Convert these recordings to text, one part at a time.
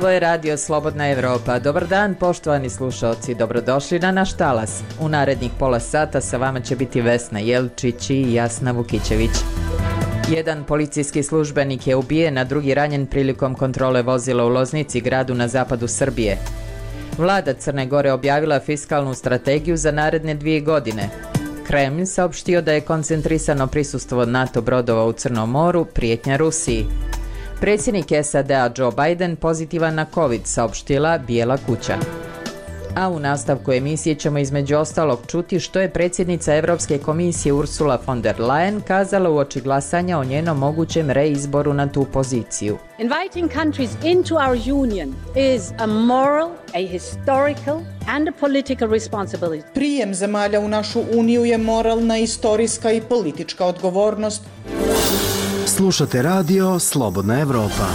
Ovo je Radio Slobodna Evropa. Dobar dan, poštovani slušaoci, dobrodošli na naš talas. U narednih pola sata sa vama će biti Vesna Jelčić i Jasna Vukićević. Jedan policijski službenik je ubijen, a drugi ranjen prilikom kontrole vozila u Loznici, gradu na zapadu Srbije. Vlada Crne Gore objavila fiskalnu strategiju za naredne 2 godine. Kremlj saopštio da je koncentrisano prisustvo NATO brodova u Crnom moru, prijetnja Rusiji. Predsjednik SAD-a Joe Biden pozitivan na COVID, saopštila Bijela kuća. A u nastavku emisije ćemo između ostalog čuti što je predsjednica Europske komisije Ursula von der Leyen kazala uoči glasanja o njenom mogućem reizboru na tu poziciju. Inviting countries into our union is a moral, a historical and a political responsibility. Prijem zemalja u našu uniju je moralna, istorijska i politička odgovornost. Slušate radio Slobodna Evropa.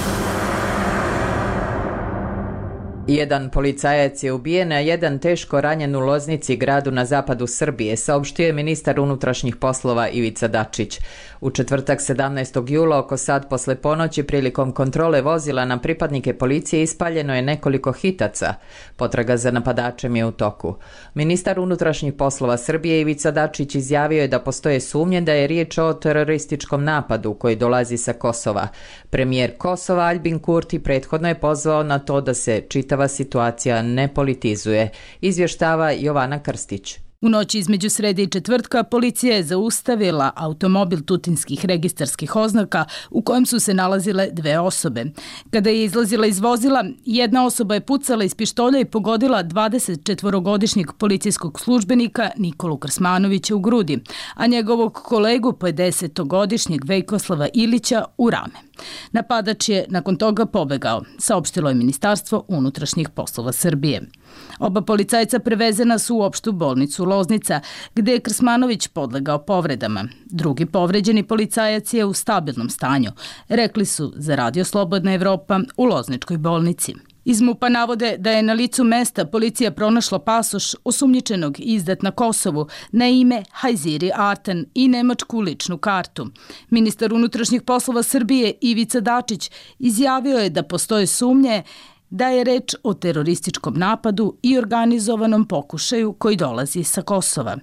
Jedan policajac je ubijen, a jedan teško ranjen u Loznici, gradu na zapadu Srbije, saopštio je ministar unutrašnjih poslova Ivica Dačić. U četvrtak 17. jula oko sat posle ponoći prilikom kontrole vozila na pripadnike policije ispaljeno je nekoliko hitaca. Potraga za napadačem je u toku. Ministar unutrašnjih poslova Srbije Ivica Dačić izjavio je da postoje sumnje da je riječ o terorističkom napadu koji dolazi sa Kosova. Premijer Kosova Aljbin Kurti prethodno je pozvao na to da se čitava situacija ne politizuje, izvještava Jovana Krstić. U noći između srede i četvrtka policija je zaustavila automobil tutinskih registarskih oznaka u kojem su se nalazile 2 osobe. Kada je izlazila iz vozila, jedna osoba je pucala iz pištolja i pogodila 24-godišnjeg policijskog službenika Nikolu Krsmanovića u grudi, a njegovog kolegu 50-godišnjeg Vejkoslava Ilića u rame. Napadač je nakon toga pobegao, saopštilo je Ministarstvo unutrašnjih poslova Srbije. Oba policajca prevezena su u opštu bolnicu Loznica, gde je Krsmanović podlegao povredama. Drugi povređeni policajac je u stabilnom stanju, rekli su za Radio Slobodna Evropa u Lozničkoj bolnici. Iz MUP-a navode da je na licu mesta policija pronašla pasoš osumnjičenog izdat na Kosovu na ime Hajziri Artan i nemačku ličnu kartu. Ministar unutrašnjih poslova Srbije Ivica Dačić izjavio je da postoje sumnje da je reč o terorističkom napadu i organizovanom pokušaju koji dolazi sa Kosova.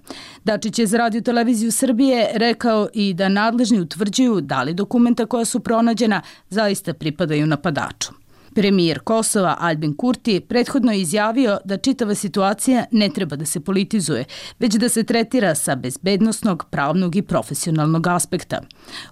Dačić je za Radio televiziju Srbije rekao i da nadležni utvrđuju da li dokumenta koja su pronađena zaista pripadaju napadaču. Premijer Kosova Aljbin Kurti prethodno je izjavio da čitava situacija ne treba da se politizuje, već da se tretira sa bezbednosnog, pravnog i profesionalnog aspekta.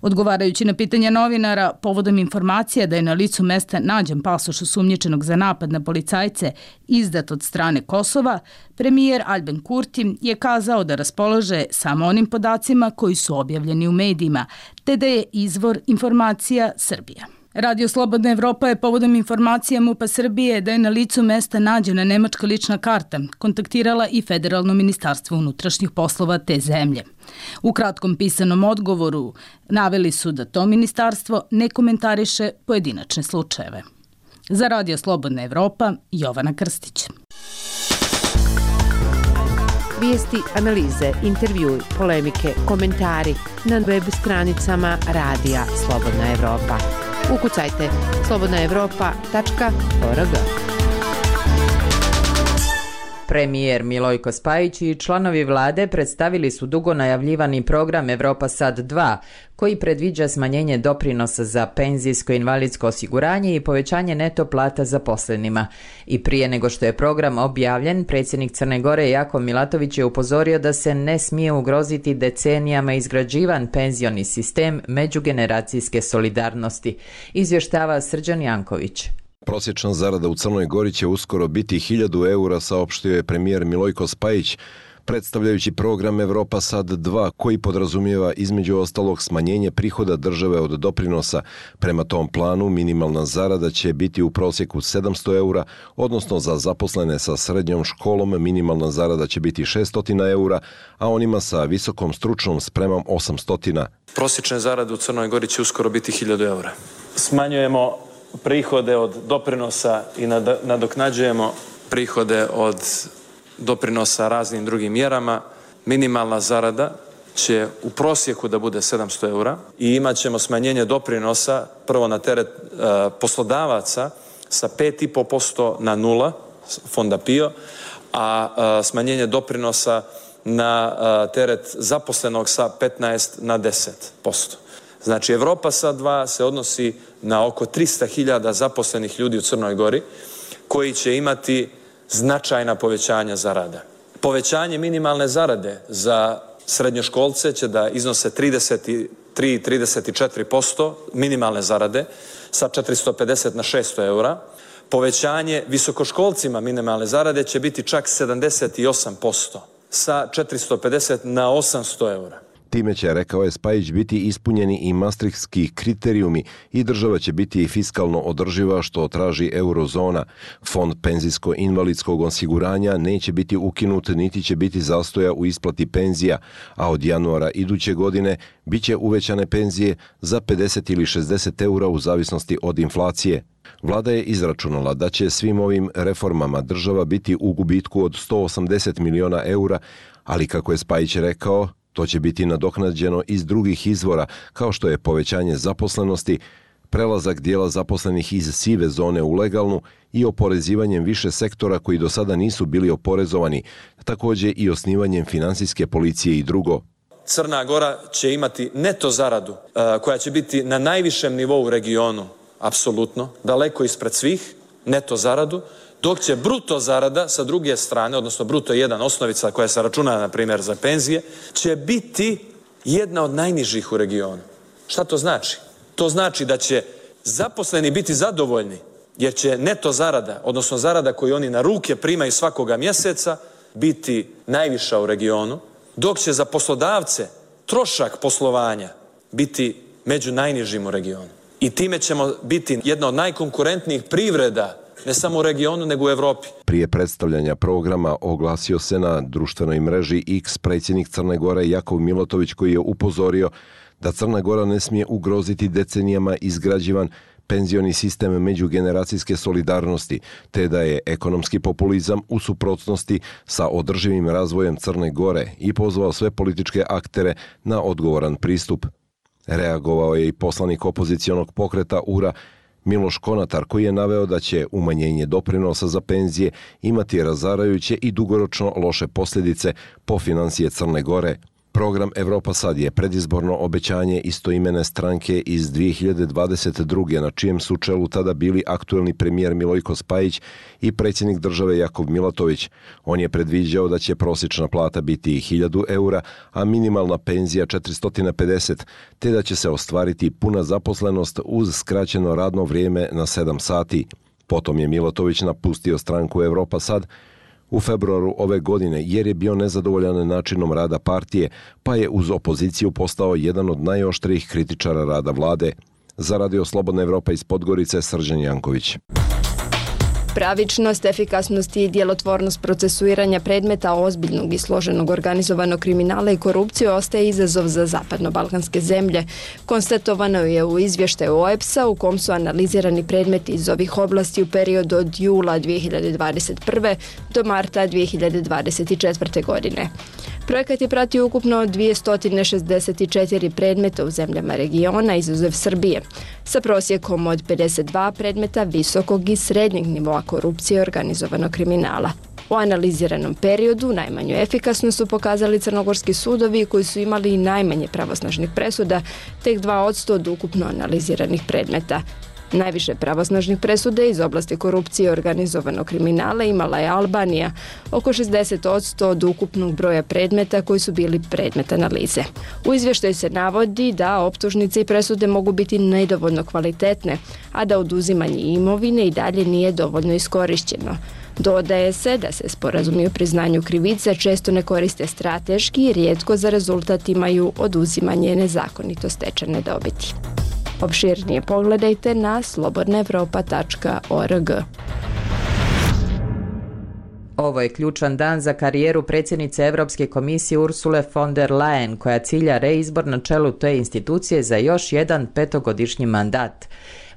Odgovarajući na pitanja novinara povodom informacija da je na licu mesta nađen pasoš osumnjičenog za napad na policajce izdat od strane Kosova, premijer Aljbin Kurti je kazao da raspolaže samo onim podacima koji su objavljeni u medijima, te da je izvor informacija Srbija. Radio Slobodna Evropa je povodom informacija MUP-a Srbije da je na licu mesta nađena nemačka lična karta kontaktirala i Federalno ministarstvo unutrašnjih poslova te zemlje. U kratkom pisanom odgovoru naveli su da to ministarstvo ne komentariše pojedinačne slučajeve. Za Radio Slobodna Evropa, Jovana Krstić. Vijesti, analize, intervjui, polemike, komentari na web stranicama Radija Slobodna Evropa. Ukucajte slobodnaevropa.org. Premijer Milojko Spajić i članovi vlade predstavili su dugo najavljivani program Evropa Sad 2, koji predviđa smanjenje doprinosa za penzijsko i invalidsko osiguranje i povećanje neto plata zaposlenima. I prije nego što je program objavljen, predsjednik Crne Gore Jakov Milatović je upozorio da se ne smije ugroziti decenijama izgrađivan penzioni sistem međugeneracijske solidarnosti, izvještava Srđan Janković. Prosječna zarada u Crnoj Gori će uskoro biti 1000 eura, saopštio je premijer Milojko Spajić, predstavljajući program Evropa Sad 2, koji podrazumijeva između ostalog smanjenje prihoda države od doprinosa. Prema tom planu minimalna zarada će biti u prosjeku 700 eura, odnosno za zaposlene sa srednjom školom minimalna zarada će biti 600 eura, a onima sa visokom stručnom spremom 800. Prosječne zarade u Crnoj Gori će uskoro biti 1000 eura. Smanjujemo prihode od doprinosa i nadoknađujemo prihode od doprinosa raznim drugim mjerama. Minimalna zarada će u prosjeku da bude 700 eura i imat ćemo smanjenje doprinosa prvo na teret poslodavaca sa 5,5% na 0, fonda PIO, a smanjenje doprinosa na teret zaposlenog sa 15 na 10%. Znači, Evropa sad 2 se odnosi na oko 300.000 zaposlenih ljudi u Crnoj Gori koji će imati značajna povećanja zarada. Povećanje minimalne zarade za srednjoškolce će da iznose 33-34% minimalne zarade sa 450 na 600 eura. Povećanje visokoškolcima minimalne zarade će biti čak 78% sa 450 na 800 eura. Time će, rekao je Spajić, biti ispunjeni i maastrichtski kriterijumi i država će biti fiskalno održiva, što traži eurozona. Fond penzijsko-invalidskog osiguranja neće biti ukinut niti će biti zastoja u isplati penzija, a od januara iduće godine bit će uvećane penzije za 50 ili 60 eura u zavisnosti od inflacije. Vlada je izračunala da će svim ovim reformama država biti u gubitku od 180 miliona eura, ali kako je Spajić rekao, to će biti nadoknađeno iz drugih izvora, kao što je povećanje zaposlenosti, prelazak dijela zaposlenih iz sive zone u legalnu i oporezivanjem više sektora koji do sada nisu bili oporezovani, također i osnivanjem finansijske policije i drugo. Crna Gora će imati neto zaradu koja će biti na najvišem nivou u regionu, apsolutno, daleko ispred svih, neto zaradu, dok će bruto zarada sa druge strane, odnosno bruto 1 osnovica koja se računa, na primjer, za penzije, će biti jedna od najnižih u regionu. Šta to znači? To znači da će zaposleni biti zadovoljni, jer će neto zarada, odnosno zarada koju oni na ruke primaju svakoga mjeseca, biti najviša u regionu, dok će za poslodavce trošak poslovanja biti među najnižim u regionu. I time ćemo biti jedna od najkonkurentnijih privreda, ne samo u regionu, nego u Evropi. Prije predstavljanja programa oglasio se na društvenoj mreži X predsjednik Crne Gore Jakov Milotović, koji je upozorio da Crna Gora ne smije ugroziti decenijama izgrađivan penzioni sistem međugeneracijske solidarnosti, te da je ekonomski populizam u suprotnosti sa održivim razvojem Crne Gore i pozvao sve političke aktere na odgovoran pristup. Reagovao je i poslanik opozicionog pokreta URA Miloš Konatar, koji je naveo da će umanjenje doprinosa za penzije imati razarajuće i dugoročno loše posljedice po financije Crne Gore. Program Evropa sad je predizborno obećanje istoimene stranke iz 2022. na čijem su čelu tada bili aktuelni premijer Milojko Spajić i predsjednik države Jakov Milatović. On je predviđao da će prosječna plata biti 1000 eura, a minimalna penzija 450, te da će se ostvariti puna zaposlenost uz skraćeno radno vrijeme na 7 sati. Potom je Milatović napustio stranku Evropa sad u februaru ove godine jer je bio nezadovoljan načinom rada partije, pa je uz opoziciju postao jedan od najoštrijih kritičara rada vlade. Za Radio Slobodna Evropa iz Podgorice, Srđan Janković. Pravičnost, efikasnost i djelotvornost procesuiranja predmeta ozbiljnog i složenog organizovanog kriminala i korupcije ostaje izazov za zapadno-balkanske zemlje. Konstatovano je u izvještaju OEBS-a u kom su analizirani predmeti iz ovih oblasti u periodu od jula 2021. do marta 2024. godine. Projekat je pratio ukupno 264 predmeta u zemljama regiona, izuzev Srbije, sa prosjekom od 52 predmeta visokog i srednjeg nivoa korupcije i organizovanog kriminala. U analiziranom periodu najmanju efikasnost su pokazali crnogorski sudovi koji su imali najmanje pravosnažnih presuda, tek 2% od ukupno analiziranih predmeta. Najviše pravosnažnih presuda iz oblasti korupcije i organizovanog kriminala imala je Albanija, oko 60% od ukupnog broja predmeta koji su bili predmet analize. U izvještaju se navodi da optužnice i presude mogu biti nedovoljno kvalitetne, a da oduzimanje imovine i dalje nije dovoljno iskorišćeno. Dodaje se da se sporazumi o priznanju krivice često ne koriste strateški i rijetko za rezultat imaju oduzimanje nezakonito stečene dobiti. Opširnije pogledajte na slobodnaevropa.org. Ovo je ključan dan za karijeru predsjednice Europske komisije Ursule von der Leyen, koja cilja reizbor na čelu te institucije za još jedan 5-godišnji mandat.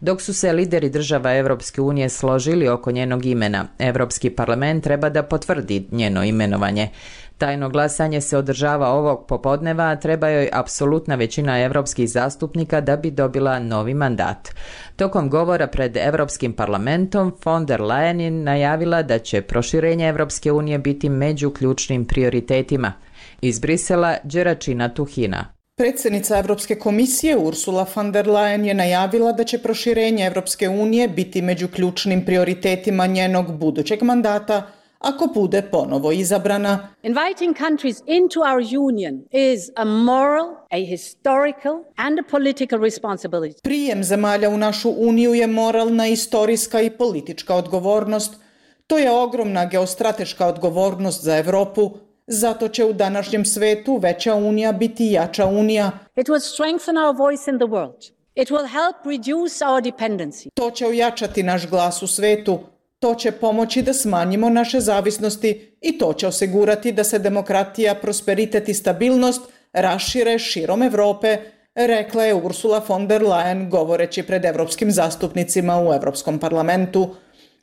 Dok su se lideri država Europske unije složili oko njenog imena, Europski parlament treba da potvrdi njeno imenovanje. Tajno glasanje se održava ovog popodneva, a treba joj apsolutna većina evropskih zastupnika da bi dobila novi mandat. Tokom govora pred Evropskim parlamentom, von der Leyen je najavila da će proširenje Evropske unije biti među ključnim prioritetima. Iz Brisela, Đeračina Tuhina. Predsjednica Evropske komisije Ursula von der Leyen je najavila da će proširenje Evropske unije biti među ključnim prioritetima njenog budućeg mandata ako bude ponovo izabrana. Inviting countries into our union is a moral, a historical and a political responsibility. Prijem zemalja u našu uniju je moralna, istorijska i politička odgovornost. To je ogromna geostrateška odgovornost za Evropu. Zato će u današnjem svetu veća unija biti jača unija. It will strengthen our voice in the world. It will help reduce our dependency. To će ojačati naš glas u svetu. To će pomoći da smanjimo naše zavisnosti i to će osigurati da se demokratija, prosperitet i stabilnost rašire širom Evrope, rekla je Ursula von der Leyen govoreći pred evropskim zastupnicima u Evropskom parlamentu.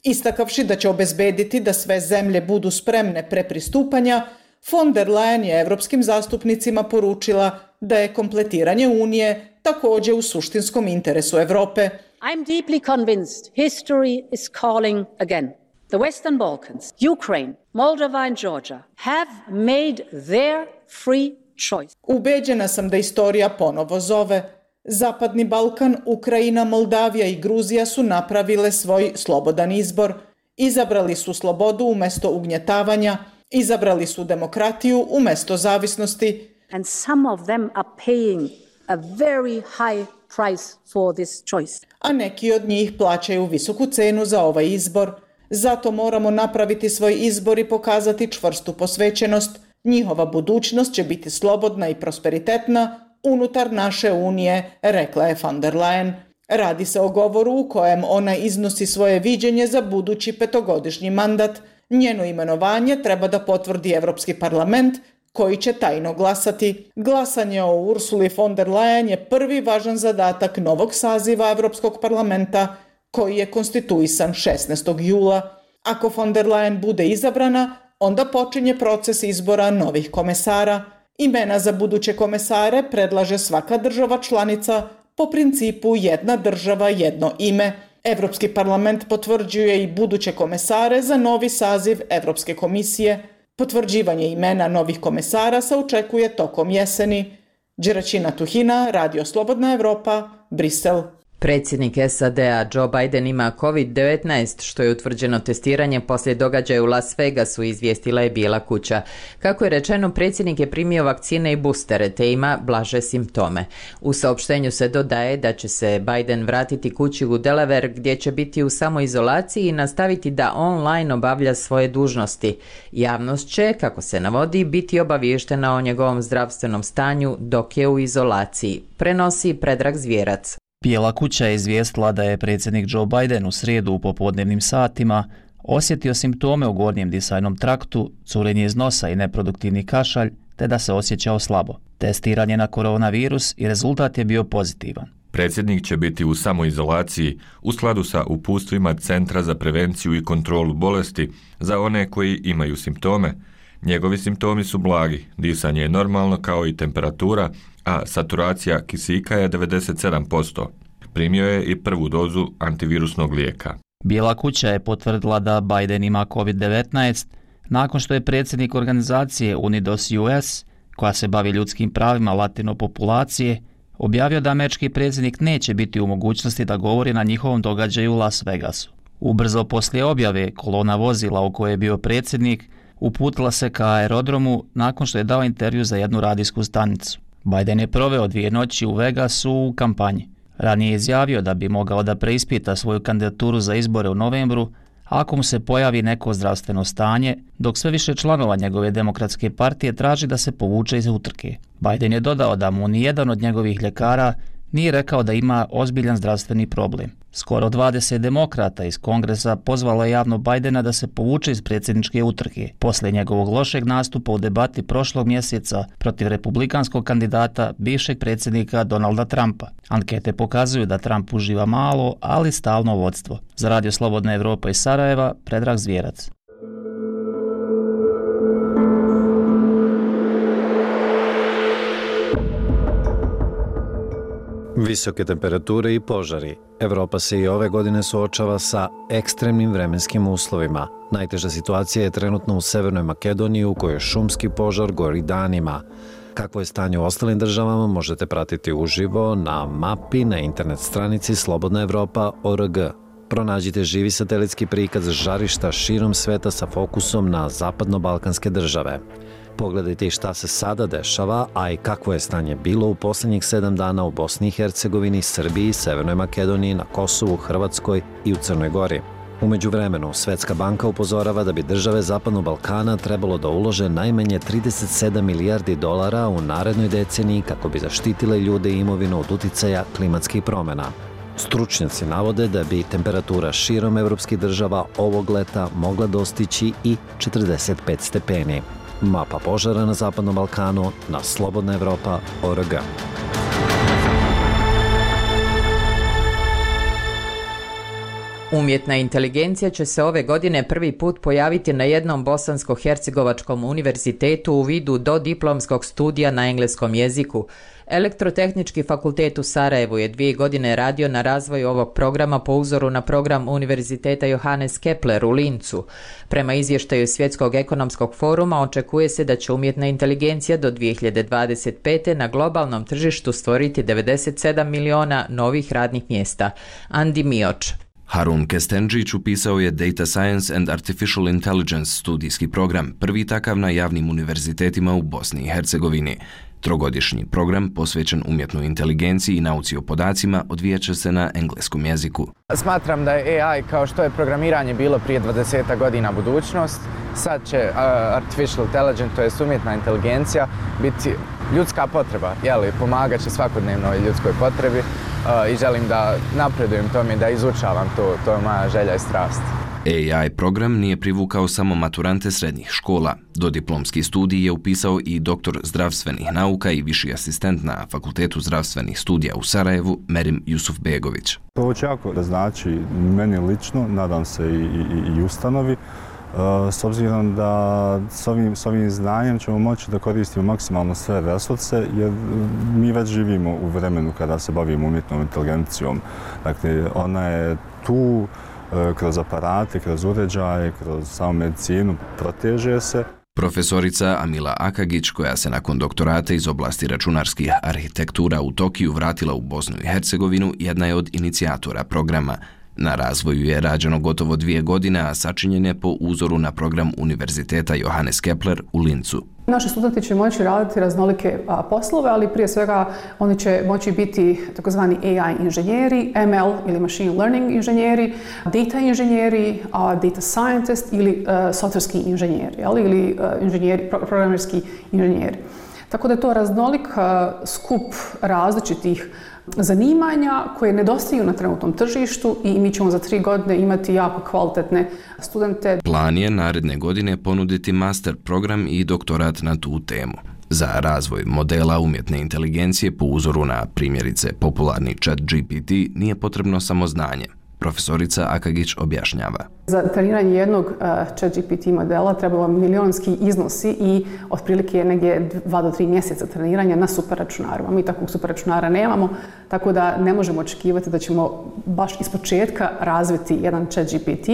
Istakavši da će obezbediti da sve zemlje budu spremne pre pristupanja, von der Leyen je evropskim zastupnicima poručila da je kompletiranje Unije također u suštinskom interesu Evrope. I'm deeply convinced history is calling again. The Western Balkans, Ukraine, Moldova and Georgia have made their free choice. Ubeđena sam da istorija ponovo zove. Zapadni Balkan, Ukrajina, Moldavija i Gruzija su napravile svoj slobodan izbor. Izabrali su slobodu umjesto ugnjetavanja, izabrali su demokratiju umjesto zavisnosti. And some of them are paying a very high price for this choice. A neki od njih plaćaju visoku cenu za ovaj izbor. Zato moramo napraviti svoj izbor i pokazati čvrstu posvećenost. Njihova budućnost će biti slobodna i prosperitetna unutar naše unije, rekla je von der Leyen. Radi se o govoru u kojem ona iznosi svoje viđenje za budući petogodišnji mandat. Njeno imenovanje treba da potvrdi Evropski parlament, koji će tajno glasati. Glasanje o Ursuli von der Leyen je prvi važan zadatak novog saziva Evropskog parlamenta, koji je konstituisan 16. jula. Ako von der Leyen bude izabrana, onda počinje proces izbora novih komesara. Imena za buduće komesare predlaže svaka država članica po principu jedna država, jedno ime. Evropski parlament potvrđuje i buduće komesare za novi saziv Evropske komisije. Potvrđivanje imena novih komesara se očekuje tokom jeseni. Đeračina Tuhina, Radio Slobodna Evropa, Brisel. Predsjednik SAD-a Joe Biden ima COVID-19, što je utvrđeno testiranje poslije događaja u Las Vegasu, izvijestila je Bijela kuća. Kako je rečeno, predsjednik je primio vakcine i boostere, te ima blaže simptome. U saopštenju se dodaje da će se Biden vratiti kući u Delaware, gdje će biti u samoizolaciji i nastaviti da online obavlja svoje dužnosti. Javnost će, kako se navodi, biti obaviještena o njegovom zdravstvenom stanju dok je u izolaciji, prenosi Predrag Zvjerac. Bijela kuća je izvijestila da je predsjednik Joe Biden u srijedu u popodnevnim satima osjetio simptome u gornjem disajnom traktu, curenje iz nosa i neproduktivni kašalj, te da se osjećao slabo. Testiran je na koronavirus i rezultat je bio pozitivan. Predsjednik će biti u samoizolaciji u skladu sa uputstvima Centra za prevenciju i kontrolu bolesti za one koji imaju simptome. Njegovi simptomi su blagi, disanje je normalno kao i temperatura, a saturacija kisika je 97%. Primio je i prvu dozu antivirusnog lijeka. Bijela kuća je potvrdila da Biden ima COVID-19 nakon što je predsjednik organizacije Unidos US, koja se bavi ljudskim pravima latino populacije, objavio da američki predsjednik neće biti u mogućnosti da govori na njihovom događaju u Las Vegasu. Ubrzo poslije objave, kolona vozila u kojoj je bio predsjednik uputila se ka aerodromu nakon što je dao intervju za jednu radijsku stanicu. Biden je proveo 2 noći u Vegasu u kampanji. Ranije je izjavio da bi mogao da preispita svoju kandidaturu za izbore u novembru ako mu se pojavi neko zdravstveno stanje, dok sve više članova njegove demokratske partije traži da se povuče iz utrke. Biden je dodao da mu nijedan od njegovih ljekara nije rekao da ima ozbiljan zdravstveni problem. Skoro 20 demokrata iz Kongresa pozvalo je javno Bidena da se povuče iz predsjedničke utrke posle njegovog lošeg nastupa u debati prošlog mjeseca protiv republikanskog kandidata bivšeg predsjednika Donalda Trumpa. Ankete pokazuju da Trump uživa malo, ali stalno vodstvo. Za Radio Slobodna Evropa iz Sarajeva, Predrag Zvjerac. Visoke temperature i požari. Evropa se i ove godine suočava sa ekstremnim vremenskim uslovima. Najteža situacija je trenutno u Severnoj Makedoniji u kojoj šumski požar gori danima. Kakvo je stanje u ostalim državama možete pratiti uživo na mapi na internet stranici slobodnaevropa.org. Pronađite živi satelitski prikaz žarišta širom sveta sa fokusom na zapadno-balkanske države. Pogledajte i šta se sada dešava, a i kakvo je stanje bilo u posljednjih 7 dana u Bosni i Hercegovini, Srbiji, Severnoj Makedoniji, na Kosovu, Hrvatskoj i u Crnoj Gori. U međuvremenu, Svetska banka upozorava da bi države Zapadnog Balkana trebalo da ulože najmanje 37 milijardi dolara u narednoj deceniji kako bi zaštitile ljude i imovinu od uticaja klimatskih promjena. Stručnjaci navode da bi temperatura širom evropskih država ovog leta mogla dostići i 45 stepeni. Mapa požara na Zapadnom Balkanu na slobodnaevropa.org. Umjetna inteligencija će se ove godine prvi put pojaviti na jednom bosansko-hercegovačkom univerzitetu u vidu dodiplomskog studija na engleskom jeziku. Elektrotehnički fakultet u Sarajevu je 2 godine radio na razvoju ovog programa po uzoru na program Univerziteta Johannes Kepler u Lincu. Prema izvještaju Svjetskog ekonomskog foruma očekuje se da će umjetna inteligencija do 2025. na globalnom tržištu stvoriti 97 miliona novih radnih mjesta. Andi Mioč. Harun Kestendžić upisao je Data Science and Artificial Intelligence studijski program, prvi takav na javnim univerzitetima u Bosni i Hercegovini. Trogodišnji program posvećen umjetnoj inteligenciji i nauci o podacima odvijat će se na engleskom jeziku. Smatram da je AI, kao što je programiranje bilo prije 20 godina, budućnost. Sad će artificial intelligence, to je umjetna inteligencija, biti ljudska potreba, pomagat će svakodnevnoj ljudskoj potrebi i želim da napredujem tome, da izučavam to, to je moja želja i strast. AI program nije privukao samo maturante srednjih škola. Dodiplomski studij je upisao i doktor zdravstvenih nauka i viši asistent na Fakultetu zdravstvenih studija u Sarajevu, Merim Jusufbegović. To će jako da znači meni lično, nadam se i ustanovi, s obzirom da s ovim znanjem ćemo moći da koristimo maksimalno sve resurse, jer mi već živimo u vremenu kada se bavimo umjetnom inteligencijom. Dakle, ona je tu kroz aparate, kroz uređaje, kroz samu medicinu, proteže se. Profesorica Amila Akagić, koja se nakon doktorata iz oblasti računarskih arhitektura u Tokiju vratila u Bosnu i Hercegovinu, jedna je od inicijatora programa. Na razvoju je rađeno gotovo 2 godine, a sačinjen je po uzoru na program Univerziteta Johannes Kepler u Lincu. Naši studenti će moći raditi raznolike poslove, ali prije svega oni će moći biti takozvani AI inženjeri, ML ili machine learning inženjeri, data inženjeri, data scientist ili softverski inženjeri, ili inženjeri, programerski inženjeri. Tako da je to raznolik skup različitih zanimanja koje nedostaju na trenutnom tržištu i mi ćemo za 3 godine imati jako kvalitetne studente. Plan je naredne godine ponuditi master program i doktorat na tu temu. Za razvoj modela umjetne inteligencije po uzoru na primjerice popularni ChatGPT nije potrebno samo znanje. Profesorica Akagić objašnjava. Za treniranje jednog ChatGPT modela trebalo milionski iznosi i otprilike negdje 2 do 3 mjeseca treniranja na superračunarima. Mi takvog superračunara nemamo, tako da ne možemo očekivati da ćemo baš ispočetka razviti jedan ChatGPT,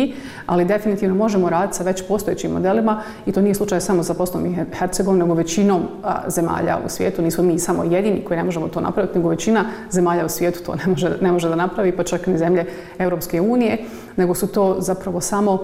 ali definitivno možemo raditi sa već postojećim modelima i to nije slučaj samo za Bosnom i Hercegovinom, nego većinom zemalja u svijetu. Nismo mi samo jedini koji ne možemo to napraviti, nego većina zemalja u svijetu to ne može da napravi, pa čak ni zemlje Europske unije, nego su to zapravo samo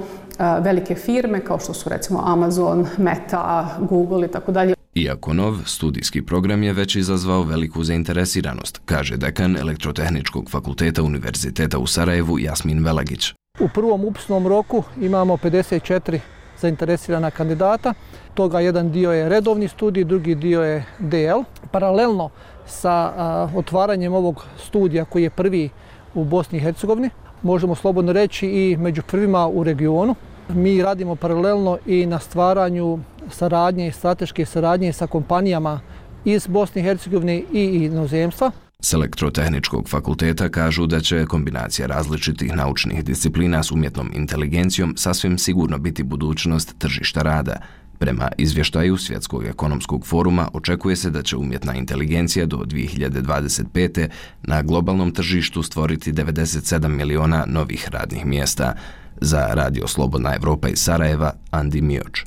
velike firme kao što su recimo Amazon, Meta, Google i tako dalje. Iako nov, studijski program je već izazvao veliku zainteresiranost, kaže dekan Elektrotehničkog fakulteta Univerziteta u Sarajevu Jasmin Velagić. U prvom upisnom roku imamo 54 zainteresirana kandidata. Toga jedan dio je redovni studij, drugi dio je DL. Paralelno sa otvaranjem ovog studija koji je prvi u Bosni i Hercegovini, možemo slobodno reći i među prvima u regionu. Mi radimo paralelno i na stvaranju saradnje, strateške saradnje sa kompanijama iz Bosne i Hercegovine i inozemstva. S Elektrotehničkog fakulteta kažu da će kombinacija različitih naučnih disciplina s umjetnom inteligencijom sasvim sigurno biti budućnost tržišta rada. Prema izvještaju Svjetskog ekonomskog foruma očekuje se da će umjetna inteligencija do 2025. na globalnom tržištu stvoriti 97 miliona novih radnih mjesta. Za Radio Slobodna Evropa iz Sarajeva, Andi Mioč.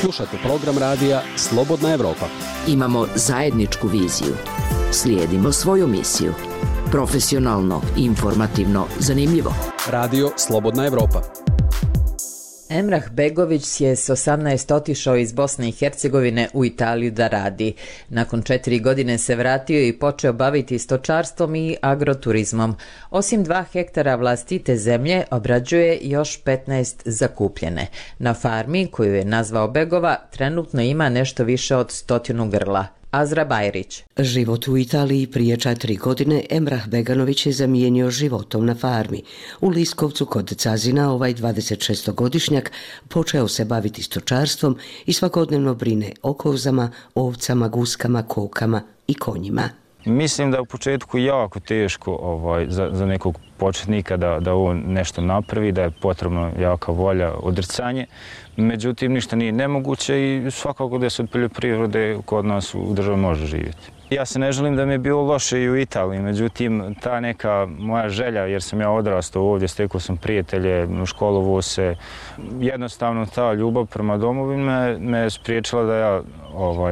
Slušajte program radija Slobodna Evropa. Imamo zajedničku viziju. Slijedimo svoju misiju. Profesionalno, informativno, zanimljivo. Radio Slobodna Evropa. Emrah Begović je s 18 otišao iz Bosne i Hercegovine u Italiju da radi. Nakon 4 godine se vratio i počeo baviti stočarstvom i agroturizmom. Osim 2 hektara vlastite zemlje, obrađuje još 15 zakupljene. Na farmi, koju je nazvao Begova, trenutno ima nešto više od 100 grla. Azra Bajrić. Život u Italiji prije 4 godine Emrah Beganović je zamijenio životom na farmi. U Liskovcu kod Cazina ovaj 26-godišnjak počeo se baviti stočarstvom i svakodnevno brine o kozama, ovcama, guskama, kokama i konjima. Mislim da je u početku jako teško za nekog početnika da on nešto napravi, da je potrebno jaka volja, odricanje. Međutim, ništa nije nemoguće i svakako da se od poljoprivrede kod nas u državi može živjeti. Ja se ne želim da mi je bilo loše i u Italiji, međutim, ta neka moja želja, jer sam ja odrastao ovdje, stekao sam prijatelje, školovao se, jednostavno ta ljubav prema domovini me spriječila da ja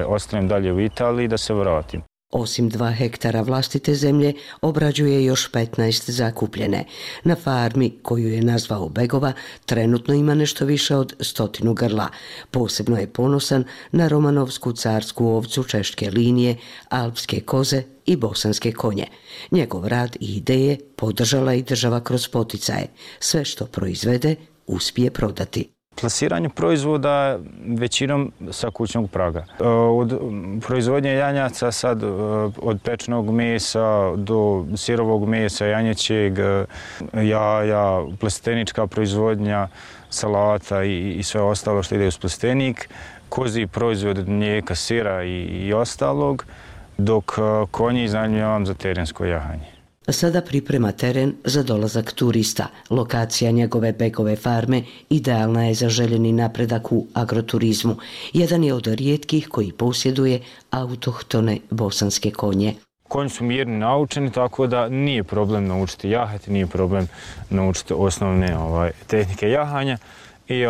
ostanem dalje u Italiji i da se vratim. Osim 2 hektara vlastite zemlje, obrađuje još 15 zakupljene. Na farmi, koju je nazvao Begova, trenutno ima nešto više od 100 grla. Posebno je ponosan na romanovsku carsku ovcu češke linije, alpske koze i bosanske konje. Njegov rad i ideje podržala i država kroz poticaje. Sve što proizvede, uspije prodati. Plasiranje proizvoda većinom sa kućnog praga. Od proizvodnje janjaca sad, od pečenog mesa do sirovog mesa, janjećeg, jaja, plastenička proizvodnja, salata i sve ostalo što ide uz plastenik, kozji proizvod od mlijeka, sira i ostalog, dok konji iznajmljujem za terensko jahanje. Sada priprema teren za dolazak turista. Lokacija njegove Begove farme idealna je za željeni napredak u agroturizmu. Jedan je od rijetkih koji posjeduje autohtone bosanske konje. Konji su mirni, naučeni, tako da nije problem naučiti jahati, nije problem naučiti osnovne tehnike jahanja. I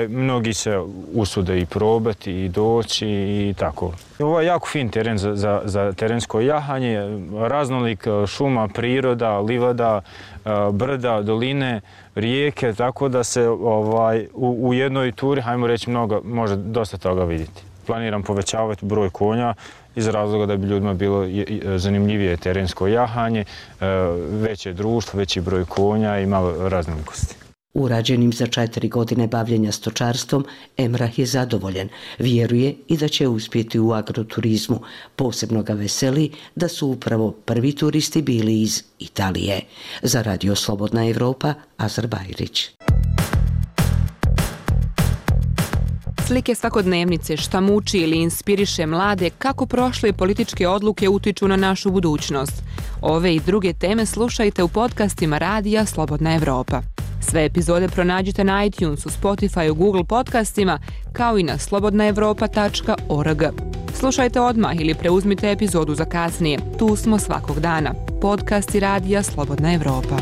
mnogi se usude i probati i doći i tako. Ovo je jako fin teren za terensko jahanje, raznolik šuma, priroda, livada, brda, doline, rijeke, tako da se u jednoj turi, hajmo reći, može dosta toga vidjeti. Planiram povećavati broj konja iz razloga da bi ljudima bilo zanimljivije terensko jahanje, veće društvo, veći broj konja i malo raznolikosti. Urađenim za 4 godine bavljenja stočarstvom, Emrah je zadovoljan. Vjeruje i da će uspjeti u agroturizmu. Posebno ga veseli da su upravo prvi turisti bili iz Italije. Za Radio Slobodna Evropa, Azra Bajrić. Slike svakodnevnice, šta muči ili inspiriše mlade, kako prošle političke odluke utiču na našu budućnost. Ove i druge teme slušajte u podcastima Radija Slobodna Evropa. Sve epizode pronađite na iTunesu, Spotifyu, Google podcastima, kao i na slobodnaevropa.org. Slušajte odmah ili preuzmite epizodu za kasnije. Tu smo svakog dana. Podcasti Radija Slobodna Evropa.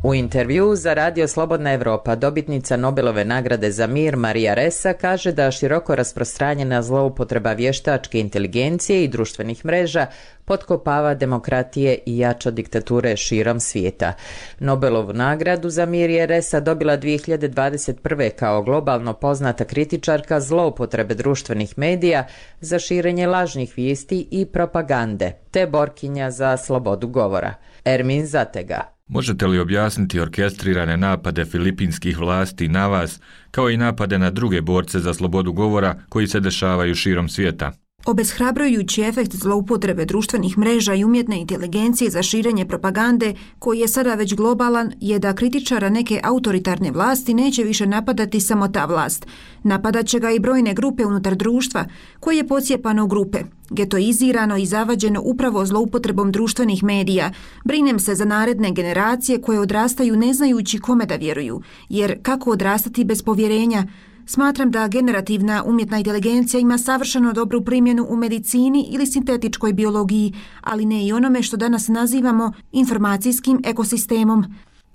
U intervjuu za Radio Slobodna Evropa dobitnica Nobelove nagrade za mir Marija Ressa kaže da široko rasprostranjena zloupotreba vještačke inteligencije i društvenih mreža potkopava demokratije i jača diktature širom svijeta. Nobelovu nagradu za mir je Ressa dobila 2021. kao globalno poznata kritičarka zloupotrebe društvenih medija za širenje lažnih vijesti i propagande, te borkinja za slobodu govora. Ermin Zatega. Možete li objasniti orkestrirane napade filipinskih vlasti na vas, kao i napade na druge borce za slobodu govora koji se dešavaju širom svijeta? Obeshrabrujući efekt zloupotrebe društvenih mreža i umjetne inteligencije za širenje propagande, koji je sada već globalan, je da kritičara neke autoritarne vlasti neće više napadati samo ta vlast. Napadat će ga i brojne grupe unutar društva, koje je pocijepano u grupe, getoizirano i zavađeno upravo zloupotrebom društvenih medija. Brinem se za naredne generacije koje odrastaju ne znajući kome da vjeruju, jer kako odrastati bez povjerenja? Smatram da generativna umjetna inteligencija ima savršeno dobru primjenu u medicini ili sintetičkoj biologiji, ali ne i onome što danas nazivamo informacijskim ekosistemom.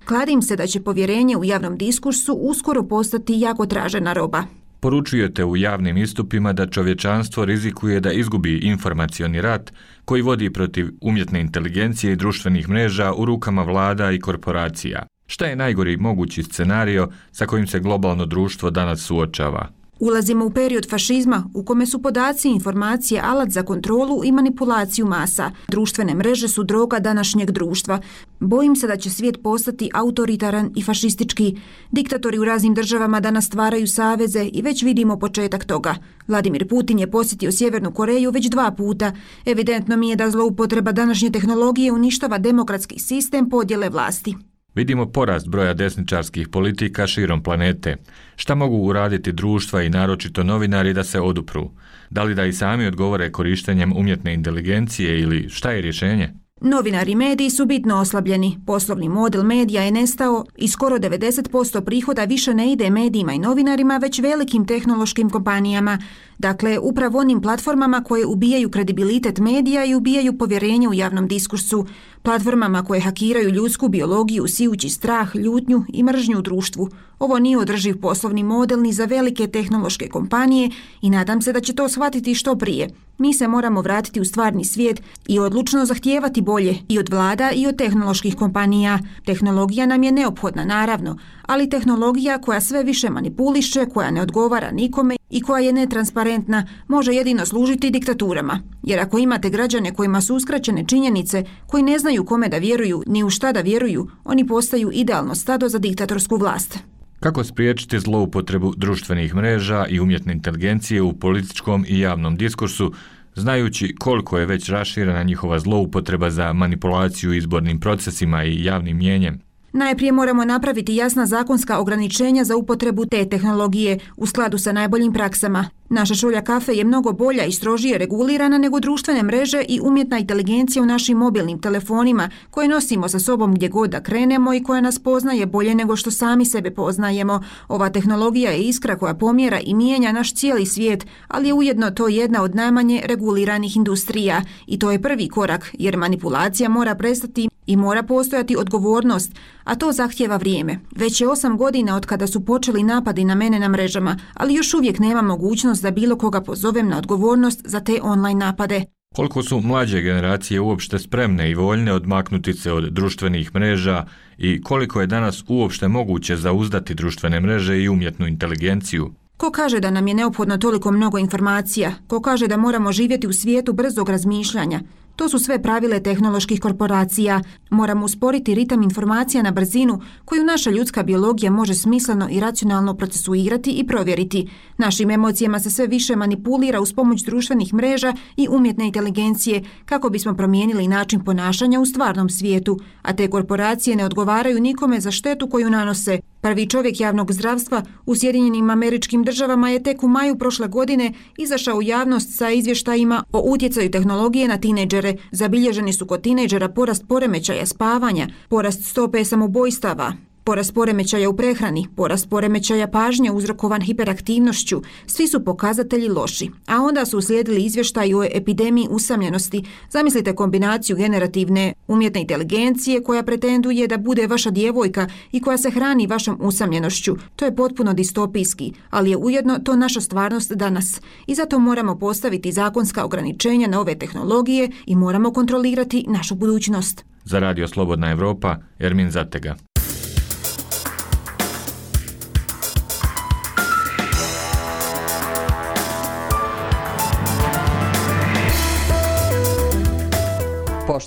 Kladim se da će povjerenje u javnom diskursu uskoro postati jako tražena roba. Poručujete u javnim istupima da čovječanstvo rizikuje da izgubi informacioni rat koji vodi protiv umjetne inteligencije i društvenih mreža u rukama vlada i korporacija. Šta je najgori mogući scenario sa kojim se globalno društvo danas suočava? Ulazimo u period fašizma u kome su podaci i informacije alat za kontrolu i manipulaciju masa. Društvene mreže su droga današnjeg društva. Bojim se da će svijet postati autoritaran i fašistički. Diktatori u raznim državama danas stvaraju saveze i već vidimo početak toga. Vladimir Putin je posjetio Sjevernu Koreju već 2 puta. Evidentno mi je da zloupotreba današnje tehnologije uništava demokratski sistem podjele vlasti. Vidimo porast broja desničarskih politika širom planete. Šta mogu uraditi društva i naročito novinari da se odupru? Da li da i sami odgovore korištenjem umjetne inteligencije ili šta je rješenje? Novinari i mediji su bitno oslabljeni. Poslovni model medija je nestao i skoro 90% prihoda više ne ide medijima i novinarima, već velikim tehnološkim kompanijama. Dakle, upravo onim platformama koje ubijaju kredibilitet medija i ubijaju povjerenje u javnom diskursu. Platformama koje hakiraju ljudsku biologiju, sijući strah, ljutnju i mržnju u društvu. Ovo nije održiv poslovni model ni za velike tehnološke kompanije i nadam se da će to shvatiti što prije. Mi se moramo vratiti u stvarni svijet i odlučno zahtijevati bolje i od vlada i od tehnoloških kompanija. Tehnologija nam je neophodna, naravno, ali tehnologija koja sve više manipuliše, koja ne odgovara nikome i koja je netransparentna, može jedino služiti diktaturama. Jer ako imate građane kojima su uskraćene činjenice, koji ne znaju kome da vjeruju ni u šta da vjeruju, oni postaju idealno stado za diktatorsku vlast. Kako spriječiti zloupotrebu društvenih mreža i umjetne inteligencije u političkom i javnom diskursu, znajući koliko je već raširena njihova zloupotreba za manipulaciju izbornim procesima i javnim mnijenjem? Najprije moramo napraviti jasna zakonska ograničenja za upotrebu te tehnologije u skladu sa najboljim praksama. Naša šolja kafe je mnogo bolja i strožije regulirana nego društvene mreže i umjetna inteligencija u našim mobilnim telefonima koje nosimo sa sobom gdje god da krenemo i koja nas poznaje bolje nego što sami sebe poznajemo. Ova tehnologija je iskra koja pomjera i mijenja naš cijeli svijet, ali je ujedno to jedna od najmanje reguliranih industrija. I to je prvi korak, jer manipulacija mora prestati i mora postojati odgovornost, a to zahtijeva vrijeme. Već je 8 godina od kada su počeli napadi na mene na mrežama, ali još uvijek nema mogućnost da bilo koga pozovem na odgovornost za te online napade. Koliko su mlađe generacije uopšte spremne i voljne odmaknuti se od društvenih mreža i koliko je danas uopšte moguće zauzdati društvene mreže i umjetnu inteligenciju? Ko kaže da nam je neophodno toliko mnogo informacija? Ko kaže da moramo živjeti u svijetu brzog razmišljanja? To su sve pravile tehnoloških korporacija. Moramo usporiti ritam informacija na brzinu koju naša ljudska biologija može smisleno i racionalno procesuirati i provjeriti. Našim emocijama se sve više manipulira uz pomoć društvenih mreža i umjetne inteligencije kako bismo promijenili način ponašanja u stvarnom svijetu, a te korporacije ne odgovaraju nikome za štetu koju nanose. Prvi čovjek javnog zdravstva u Sjedinjenim Američkim Državama je tek u maju prošle godine izašao u javnost sa izvještajima o utjecaju tehnologije na tinejdžere. Zabilježeni su kod tinejdžera porast poremećaja spavanja, porast stope samoubojstava, porast poremećaja u prehrani, porast poremećaja pažnje uzrokovan hiperaktivnošću. Svi su pokazatelji loši. A onda su uslijedili izvještaji o epidemiji usamljenosti. Zamislite kombinaciju generativne umjetne inteligencije koja pretenduje da bude vaša djevojka i koja se hrani vašom usamljenošću. To je potpuno distopijski, ali je ujedno to naša stvarnost danas. I zato moramo postaviti zakonska ograničenja na ove tehnologije i moramo kontrolirati našu budućnost. Za Radio Slobodna Evropa, Ermin Zatega.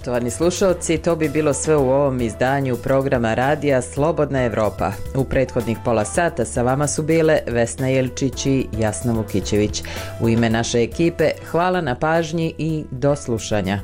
Poštovani slušalci, to bi bilo sve u ovom izdanju programa radija Slobodna Evropa. U prethodnih pola sata sa vama su bile Vesna Jelčić i Jasna Vukićević. U ime naše ekipe hvala na pažnji i do slušanja.